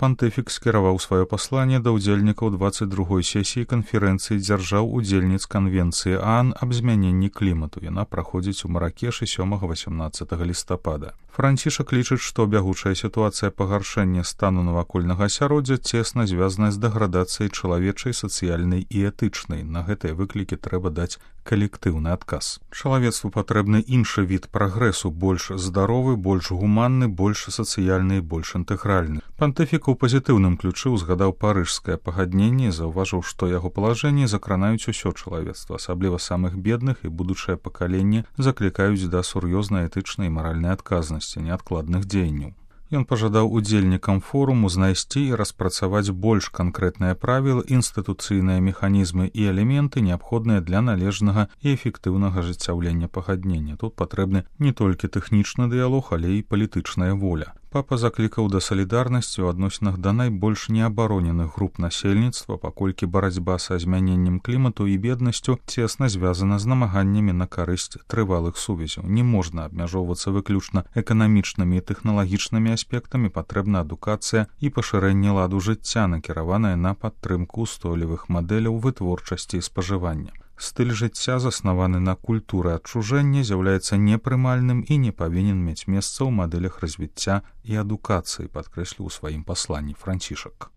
Пантыфік скіраваў сваё пасланне да ўдзельнікаў 22-й сесіі канферэнцыі дзяржаў-удзельніц канвенцыі ААН аб змяненні клімату. Яна праходзіць у Маракешы 7-18 лістапада. Францішак лічыць, што бягучая сітуацыя пагаршэння стану навакольнага асяроддзя цесна звязаная з дэградацыяй чалавечай, сацыяльнай і этычнай. На гэтыя выклікі трэба даць калектыўны адказ. Чалавецтву патрэбны іншы від прагрэсу, больш здаровы, больш гуманны, больш сацыяльны і больш інтэгральны. Пантыфік у пазітыўным ключы ўзгадаў парыжскае пагадненне і заўважыў, што яго палажэнні закранаюць усё чалавецтва, асабліва самых бедных, і будучае пакаленне заклікаюць да сур'ёзнай этычнай і маральнай адказнасці, неадкладных дзеянняў. Ён пажадаў удзельнікам форуму знайсці і распрацаваць больш канкрэтныя правілы, інстытуцыйныя механізмы і элементы, неабходныя для належнага і эфектыўнага ажыццяўлення пагаднення. Тут патрэбны не толькі тэхнічны дыялог, але і палітычная воля. Папа заклікаў да салідарнасці ў адносінах да найбольш неабароненых груп насельніцтва, паколькі барацьба са змяненнем клімату і беднасцю цесна звязана з намаганнямі на карысць трывалых сувязяў. Не можна абмяжоўвацца выключна эканамічнымі і тэхналагічнымі аспектамі, патрэбна адукацыя і пашырэнне ладу жыцця, накіраванае на падтрымку устойлівых мадэляў вытворчасці і спажывання. Стыль жыцця, заснаваны на культуры адчужэння, з'яўляецца непрымальным і не павінен мець месца ў мадэлях развіцця і адукацыі, падкрэсліў у сваім пасланні Францішак.